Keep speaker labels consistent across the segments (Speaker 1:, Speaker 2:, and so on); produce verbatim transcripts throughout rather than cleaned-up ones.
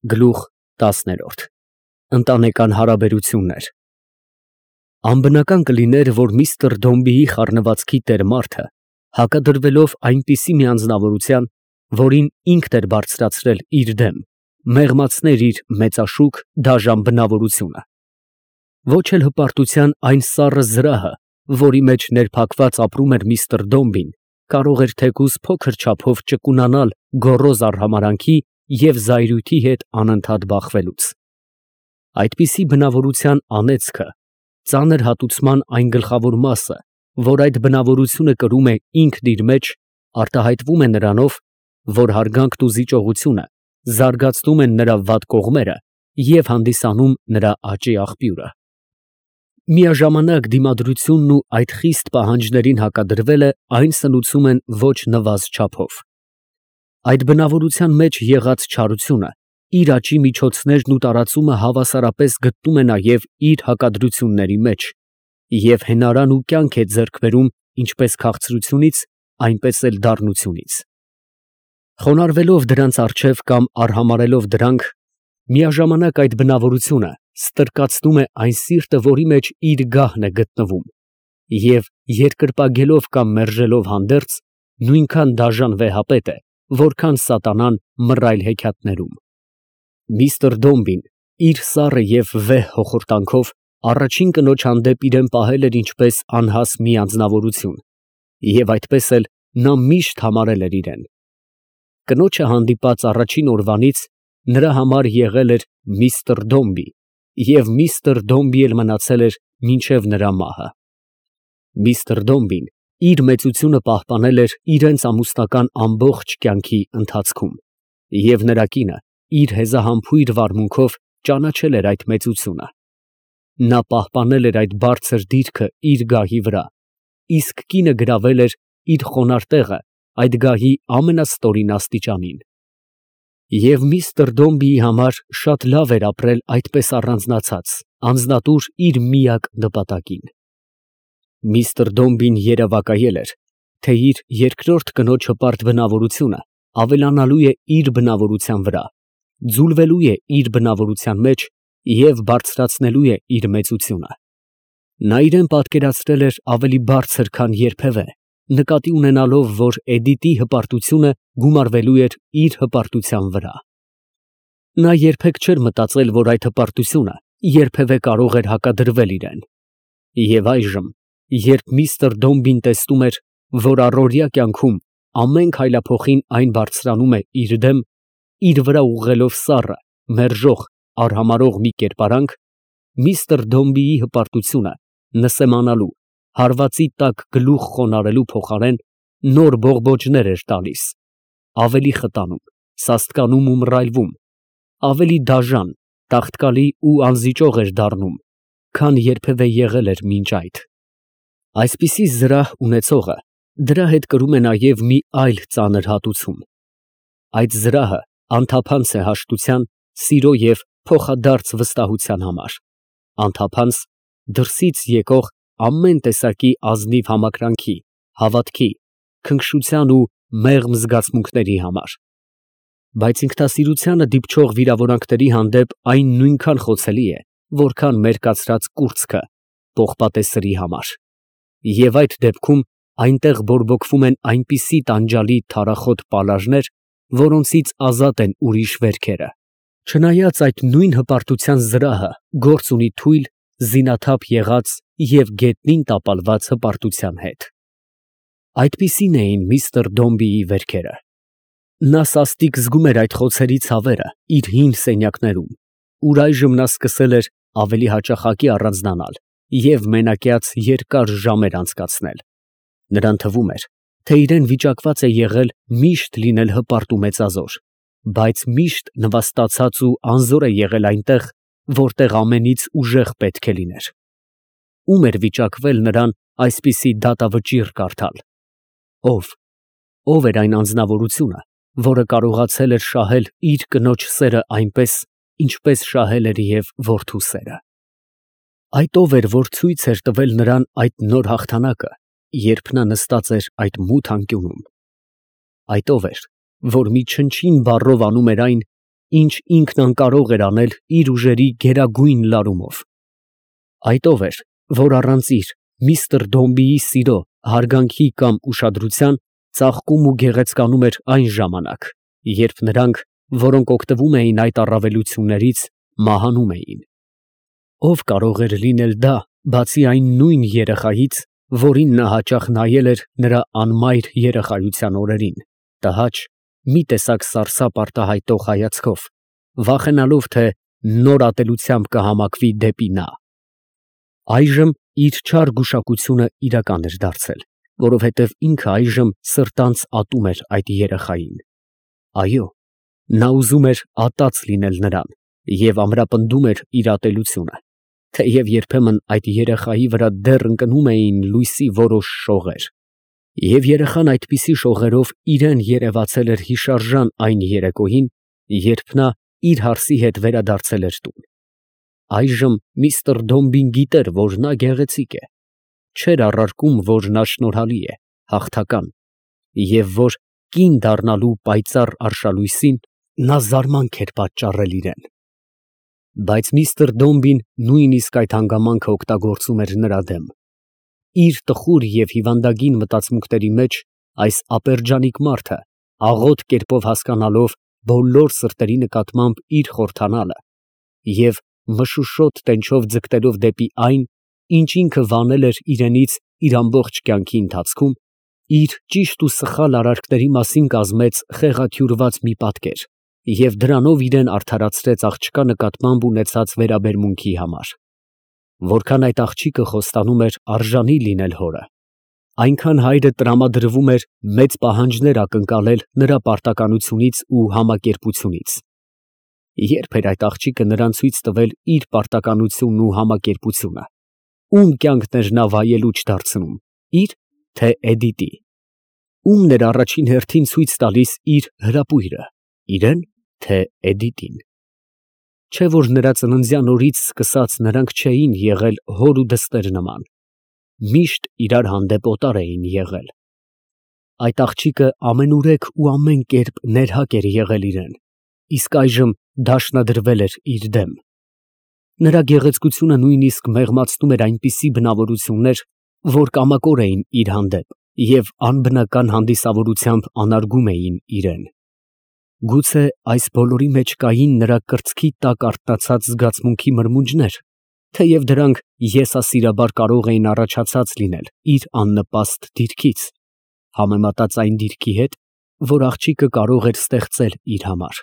Speaker 1: Գլուխ տասն. Ընտանեկան հարաբերություններ։ Անբնական կլիներ, որ միստր Դոմբիի խառնվածքի տեր մարդը, հակադրվելով այնպիսի մի անձնավորության, որին ինքն էր բարձրացրել իր դեմ, մեղմացներ իր մեծաշուք, դաժան բնավորությունը։ Ոչ էլ հպարտության այն սառը զրահը, որի մեջ ներփակված ապրում էր միստր Դոմբին, կարող էր թեկուզ փոքր չափով ճկունանալ գոռոզ արհամարհանքի և զայրույթի հետ անընդհատ բախվելուց։ Այդպիսի բնավորության անեծքը, ծանր հատուցման այն գլխավոր մասը, որ այդ բնավորությունը կրում է ինքն իր մեջ, արտահայտվում է նրանով, որ հարգանքն ու զիջողությունը զարգացնում են նրա վատ կողմերը և հանդիսանում նրա աճի աղբյուրը։ Միաժամանակ դիմադրությունն ու այդ խիստ պահանջներին հակադրվելը այն սնուցում են ոչ նվազ չափով։ Այդ բնավորության մեջ եղած չարությունը, իր աճի միջոցներն ու տարածումը հավասարապես գտնում է նաև իր հակադրությունների մեջ և հենարան ու կյանք է ձեռք բերում ինչպես քաղցրությունից, այնպես էլ դառնությունից։ Խոնարհվելով դրանց առջև կամ արհամարհելով դրանք, միաժամանակ այդ բնավորությունը ստրկացնում է այն սիրտը, որի մեջ իր գահն է գտնվում, և երկրպագելով կամ մերժելով հանդերձ, նույնքան դաժան վեհապետ է, որքան սատանան մռայլ հեքիաթներում։ Միստր Դոմբին իր սառը և վեհ հոխորտանքով առաջին կնոջ հանդեպ իրան պահել էր ինչպես անհաս մի անձնավորություն, և այդպես էլ նա միշտ համարել էր իրան։ Կնոջը հանդիպած առաջին օրվանից նրա համար եղել էր միստր Դոմբի, և միստր Դոմբի էլ մնացել էր մինչև նրա մահը։ Միստր Դոմբին իր մեծությունը պահպանել էր իրենց ամուսնական ամբողջ կյանքի ընթացքում, և նրա կինը իր հեզահամբույր վարմունքով ճանաչել էր այդ մեծությունը։ Նա պահպանել էր այդ բարձր դիրքը իր գահի վրա, իսկ կինը գրավել էր իր խոնարհ տեղը այդ գահի ամենաստորին աստիճանին։ Եվ միստր Դոմբիի համար շատ լավ էր ապրել այդպես առանձնացած, անձնատուր իր միակ նպատակին։ Միստր Դոմբին երևակայել էր, թե իր երկրորդ կնոջ հպարտ բնավորությունը ավելանալու է իր բնավորության վրա, ձուլվելու է իր բնավորության մեջ և բարձրացնելու է իր մեծությունը։ Նա իրան պատկերացրել էր ավելի բարձր, քան երբևէ, նկատի ունենալով, որ Էդիտի հպարտությունը գումարվելու էր իր հպարտության վրա։ Նա երբեք չէր մտածել, որ այդ հպարտությունը երբևէ կարող էր հակադրվել իրան։ Եվ այժմ, երբ միստր Դոմբին տեսնում էր, որ առօրյա կյանքում ամեն քայլափոխին այն բարձրանում է իր դեմ, իր վրա ուղղելով սառը, մերժող, արհամարհող մի կերպարանք, միստր Դոմբիի հպարտությունը նսեմանալու, հարվածի տակ գլուխ խոնարհելու փոխարեն նոր բողբոջներ էր տալիս, ավելի խտանում, սաստկանում ու մռայլվում, ավելի դաժան, տաղտկալի ու անզիջող էր դառնում, քան երբևէ եղել էր մինչ այդ։ Այսպիսի զրահ ունեցողը դրա հետ կրում է նաև մի այլ ծանր հատուցում։ Այդ զրահը անթափանց է հաշտության, սիրո և փոխադարձ վստահության համար, անթափանց դրսից եկող ամեն տեսակի ազնիվ համակրանքի, հավատքի, քնքշության ու մեղմ զգացմունքների համար, բայց ինքնասիրությանը դիպչող վիրավորանքների հանդեպ այն նույնքան խոցելի է, որքան մերկացրած կուրծքը պողպատե սրի համար, և այդ դեպքում այնտեղ բորբոքվում են այնպիսի տանջալի թարախոտ պալաժներ, որոնցից ազատ են ուրիշ վերքերը, չնայած այդ նույն հպարտության զրահը գործ ունի թույլ, զինաթափ եղած և գետնին տապալված հպարտության հետ։ Այդպիսին էին միստր Դոմբիի վերքերը։ Նա սաստիկ զգում էր այդ խոցերի ցավերը իր հին սենյակներում, ուր այժմ նա սկսել էր ավելի հաճախակի առանձնանալ և մենակյաց երկար ժամեր անցկացնել։ Նրան թվում էր, թե իրան վիճակված է եղել միշտ լինել հպարտ ու մեծազոր, բայց միշտ նվաստացած ու անզոր է եղել այնտեղ, որտեղ ամենից ուժեղ պետք է լիներ։ Ո՞ւմ էր վիճակվել նրան այսպիսի դատավճիռ կարդալ։ Ո՞վ, ո՞վ էր այն անձնավորությունը, որը կարողացել էր շահել իր կնոջ սերը այնպես, ինչպես շահել էր և որդու սերը։ Այդ ո՞վ էր, որ ցույց էր տվել նրան այդ նոր հաղթանակը, երբ նա նստած էր այդ մութ անկյունում։ Այդ ո՞վ էր, որ մի չնչին բառով անում էր այն, ինչ ինքն անկարող էր անել իր ուժերի գերագույն լարումով։ Այդ ով էր, որ առանց իր միստր Դոմբիի սիրո, հարգանքի կամ ուշադրության ծաղկում ու գեղեցկանում էր այն ժամանակ, երբ նրանք, որոնք օգտվում էին այդ առավելություններից, մահանում էին։ Ով կարող էր լինել դա, բացի այն նույն երեխայից, որին նա հաճախ նայել էր նրա անմայր երեխայության օրերին, տհաճ, մի տեսակ սարսափ արտահայտող հայացքով, վախենալով, թե նոր ատելությամբ կհամակվի դեպի նա։ Այժմ իր չար գուշակությունը իրական էր դարձել, որովհետև ինքը այժմ սրտանց ատում էր այդ երեխային։ Այո, նա ուզում էր ատած լինել նրան և ամրապնդում էր իր ատելությունը, թեև երբեմն այդ երեխայի վրա դեռ ընկնում էին լույսի որոշ շողեր, և երեխան այդպիսի շողերով իրան երևացել էր հիշարժան այն երեկոյին, երբ նա իր հարսի հետ վերադարձել էր տուն։ Այժմ միստր Դոմբին գիտեր, որ նա գեղեցիկ է, չէր առարկում, որ նա շնորհալի է, հաղթական, և որ կին դառնալու պայծառ արշալույսին նա զարմանք էր պատճառել իրան։ Բայց միստր Դոմբին նույնիսկ այդ հանգամանքը օգտագործում էր նրա դեմ։ Իր տխուր և հիվանդագին մտածմունքների մեջ այս ապերջանիկ մարդը, աղոտ կերպով հասկանալով բոլոր սրտերի նկատմամբ իր խորհրդանալը և մշուշոտ տենչով ձգտելով դեպի այն, ինչ ինքը վանել էր իրենից իր ամբողջ կյանքի ընթացքում, իր ճիշտ ու սխալ արարքների մասին կազմեց խեղաթյուրված մի պատկեր և դրանով իրան արդարացրեց աղջկա նկատմամբ ունեցած վերաբերմունքի համար։ Որքան այդ աղջիկը խոստանում էր արժանի լինել հորը, այնքան հայրը տրամադրվում էր մեծ պահանջներ ակնկալել նրա պարտականությունից ու համակերպությունից։ Ե՞րբ էր այդ աղջիկը նրան ցույց տվել իր պարտականությունն ու համակերպությունը, ում կյանքն էր նա վայելուչ դարձնում, իր, թե Էդիտի, ումն էր առաջին հերթին ցույց տալիս իր հրապույրը, իրան, թե Էդիտին։ Չէ՞ որ նրա ծննդյան օրից սկսած նրանք չէին եղել հոր ու դստեր նման, միշտ իրար հանդեպ օտար էին եղել։ Այդ աղջիկը ամենուրեք ու ամեն կերպ ներհակ էր եղել իրան, իսկ այժմ դաշնադրվել էր իր դեմ։ Նրա գեղեցկությունը նույնիսկ մեղմացնում էր այնպիսի բնավորություններ, որ կամակոր էին իր հանդեպ և անբնական հանդիսավորությամբ անարգում էին իրան։ Գուցե այս բոլորի մեջ կային նրա կրծքի տակ արթնացած զգացմունքի մրմունջներ, թեև դրանք եսասիրաբար կարող էին առաջացած լինել իր աննպաստ դիրքից, համեմատած այն դիրքի հետ, որ աղջիկը կարող էր ստեղծել իր համար։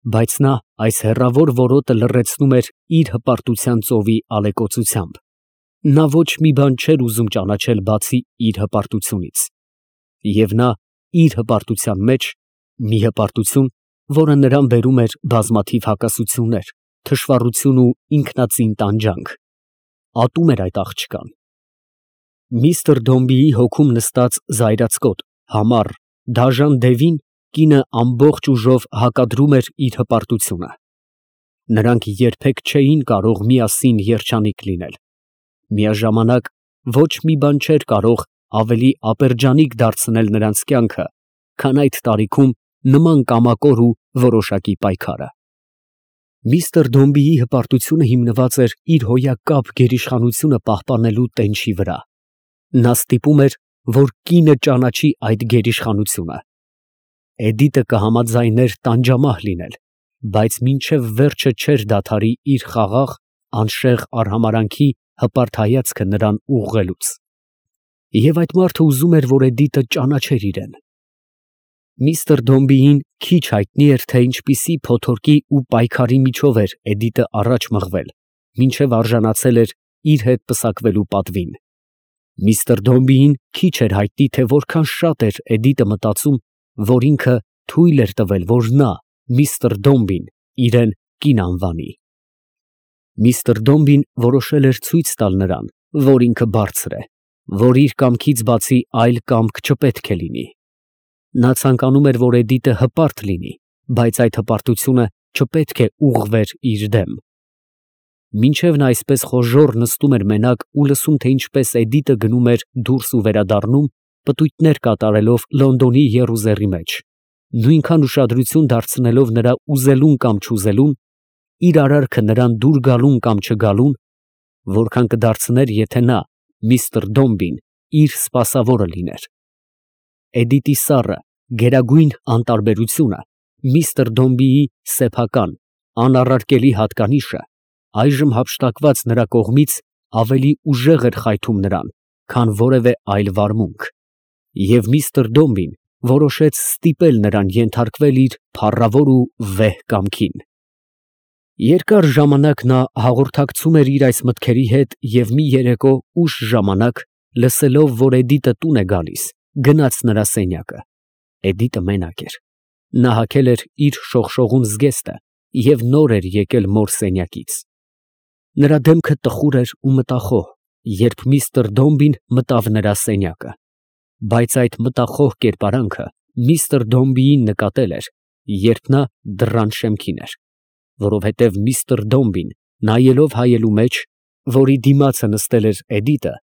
Speaker 1: Բայց նա այս հեռավոր որոտը լռեցնում էր իր հպարտության ծովի ալեկոծությամբ։ Նա ոչ մի բան չէր ուզում ճանաչել բացի իր հպարտությունից։ Եվ նա իր հպարտության մեջ, մի հպարտություն, որը նրան բերում էր բազմաթիվ հակասություններ, թշվառություն ու ինքնածին տանջանք, ատում էր այդ աղջկան։ Միստր Դոմբիի հոգում նստած զայրացկոտ, համառ, դաժան Դևին կինը ամբողջ ուժով հակադրում էր իր հպարտությունը։ Նրանք երբեք չէին կարող միասին երջանիկ լինել։ Միաժամանակ ոչ մի բան չէր կարող ավելի ապերջանիկ դարձնել նրանց կյանքը, քան այդ տարիքում նման կամակոր ու որոշակի պայքարը։ Միստր Դոմբիի հպարտությունը հիմնված էր իր հոյակապ գերիշխանությունը պահպանելու տենչի վրա։ Նա ստիպում էր, որ կինը ճանաչի այդ գերիշխանությունը։ Էդիտը կհամաձայներ տանջամահ լինել, բայց մինչև վերջը չէր դադարի իր խաղաղ, անշեղ արհամարհանքի հպարտ հայացքը նրան ուղղելուց։ Եվ այդ մարդը ուզում էր, որ Էդիտը ճանաչեր իրան։ Միստր Դոմբիին քիչ հայտնի էր, թե ինչպիսի փոթորկի ու պայքարի միջով էր Էդիտը առաջ մղվել, մինչև արժանացել էր իր հետ պսակվելու պատվին։ Միստր Դոմբիին քիչ էր հայտնի, թե որքան շատ էր Էդիտը մտածում, որ ինքը թույլ էր տվել, որ նա, միստր Դոմբին, իրան կին անվանի։ Միստր Դոմբին որոշել էր ցույց տալ նրան, որ ինքը բարձր է, որ իր կամքից բացի այլ կամք չպետք է լինի։ Նա ցանկանում էր, որ Էդիտը հպարտ լինի, բայց այդ հպարտությունը չպետք է ուղղվեր իր դեմ։ Մինչև նա այսպես խոժոռ նստում էր մենակ ու լսում, թե ինչպես Էդիտը գնում էր դուրս ու վերադառնում, պտույտներ կատարելով Լոնդոնի եռուզեռի մեջ, նույնքան ուշադրություն դարձնելով նրա ուզելուն կամ չուզելուն, իր արարքը նրան դուր գալուն կամ չգալուն, որքան կդարձներ, եթե նա, միստր Դոմբին, իր սպասավորը լիներ։ Էդիտի սառը, գերագույն անտարբերությունը, միստր Դոմբիի սեփական, անառարկելի հատկանիշը, այժմ հափշտակված նրա կողմից, ավելի ուժեղ էր խայթում նրան, քան որևէ այլ վարմունք, և միստր Դոմբին որոշեց ստիպել նրան ենթարկվել իր փառավոր ու վեհ կամքին։ Երկար ժամանակ նա հաղորդակցում էր իր այս մտքերի հետ և մի երեկո ուշ ժամանակ, լսելով, որ Էդիտը տուն է գալիս, գնաց նրա սենյակը։ Էդիտը մենակ էր։ Նա հագել էր իր շողշողուն զգեստը և նոր էր եկել մոր սենյակից։ Նրա դեմքը տխուր էր ու մտախոհ, երբ միստր Դոմբին մտավ նրա սենյակը, բայց այդ մտախոհ կերպարանքը միստր Դոմբիին նկատել էր, երբ նա դռան շեմքին էր, որովհետև միստր Դոմբին, նայելով հայելու մեջ, որի դիմացը նստել էր Էդիտը,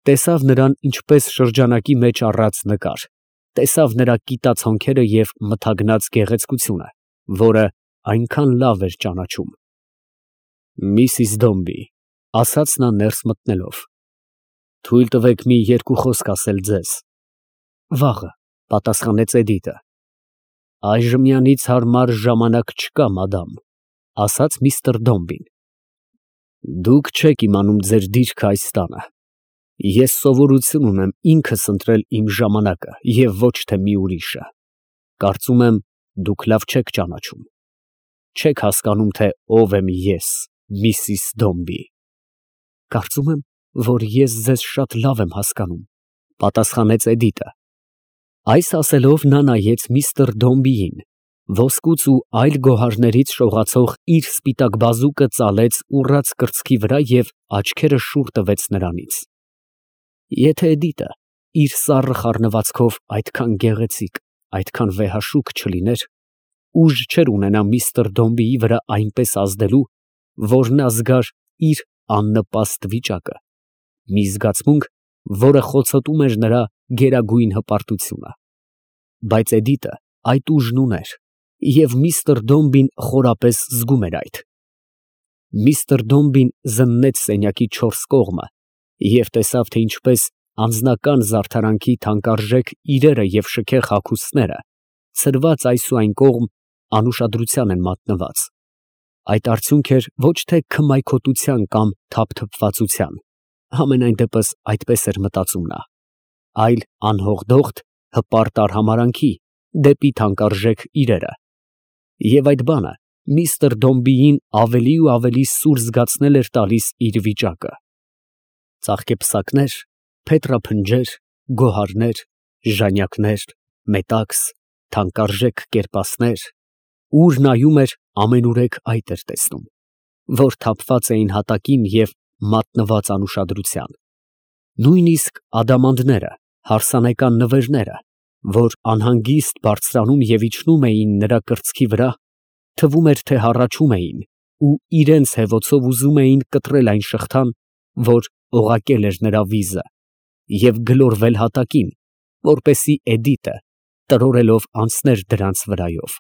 Speaker 1: տեսավ նրան ինչպես շրջանակի մեջ առած նկար, տեսավ նրա կիտած հոնքերը և մթագնած գեղեցկությունը, որը այնքան լավ էր ճանաչում։ «Միսիս Դոմբի, ֊ ասաց նա ներս մտնելով, ֊ թույլ տվեք մի երկու խոսք ասել ձեզ։ ֊ Վաղը, ֊ պատասխանեց Էդիտը։ ֊ Այժմյանից հարմար ժամանակ չկա, մադամ, ֊ ասաց միստր Դոմբին։ ֊ Դուք չեք իմանում ձեր դիրքը այս տանը. ես սովորություն ունեմ ինքս ընտրել իմ ժամանակը և ոչ թե մի ուրիշը. կարծում եմ, դուք լավ չեք ճանաչում, չեք հասկանում, թե ով եմ ես, միսիս Դոմբի։ ֊ Կարծում եմ, որ ես ձեզ շատ լավ եմ հասկանում, ֊ պատասխանեց Էդիտը։ Այս ասելով նա նայեց միստր Դոմբիին, ոսկուց ու այլ գոհարներից շողացող իր սպիտակ բազուկը ծալեց ուռած կրծքի վրա և աչքերը շուռ տվեց նրանից։ Եթե Էդիտը իր սառը խառնվածքով այդքան գեղեցիկ, այդքան վեհաշուք չլիներ, ուժ չէր ունենա միստր Դոմբիի վրա այնպես ազդելու, որ նա զգար իր աննպաստ վիճակը, մի զգացմունք, որը խոցոտում էր նրա գերագույն հպարտությունը։ Բայց Էդիտը այդ ուժն ուներ, և միստր Դոմբին խորապես զգում էր այդ։ Միստր Դոմբին զննեց սենյակի չորս կողմը և տեսավ, թե ինչպես անձնական զարդարանքի թանկարժեք իրերը և շքեղ հագուստները, ցրված այս ու այն կողմ, անուշադրության են մատնված. այդ արդյունք էր ոչ թե քմայքոտության կամ թափթփվածության, համենայն դեպս այդպես էր մտածում նա, այլ անհողդողդ, հպարտ արհամարհանքի դեպի թանկարժեք իրերը, և այդ բանը միստր Դոմբիին ավելի ու ավելի սուր զգացնել էր տալիս իր վիճակը։ Ծաղկեպսակներ, փետրափնջեր, գոհարներ, ժանյակներ, մետաքս, թանկարժեք կերպասներ, ուր նայում էր, ամենուրեք այդ էր տեսնում, որ թափված էին հատակին և մատնված անուշադրության։ Նույնիսկ ադամանդները, հարսանեկան նվերները, որ անհանգիստ բարձրանում և իջնում էին նրա կրծքի վրա, թվում էր, թե հառաչում էին ու իրանց հևոցով ուզում էին կտրել այն շղթան, որ օղակել էր նրա վիզը, և գլորվել հատակին, որպեսզի Էդիտը տրորելով անցներ դրանց վրայով։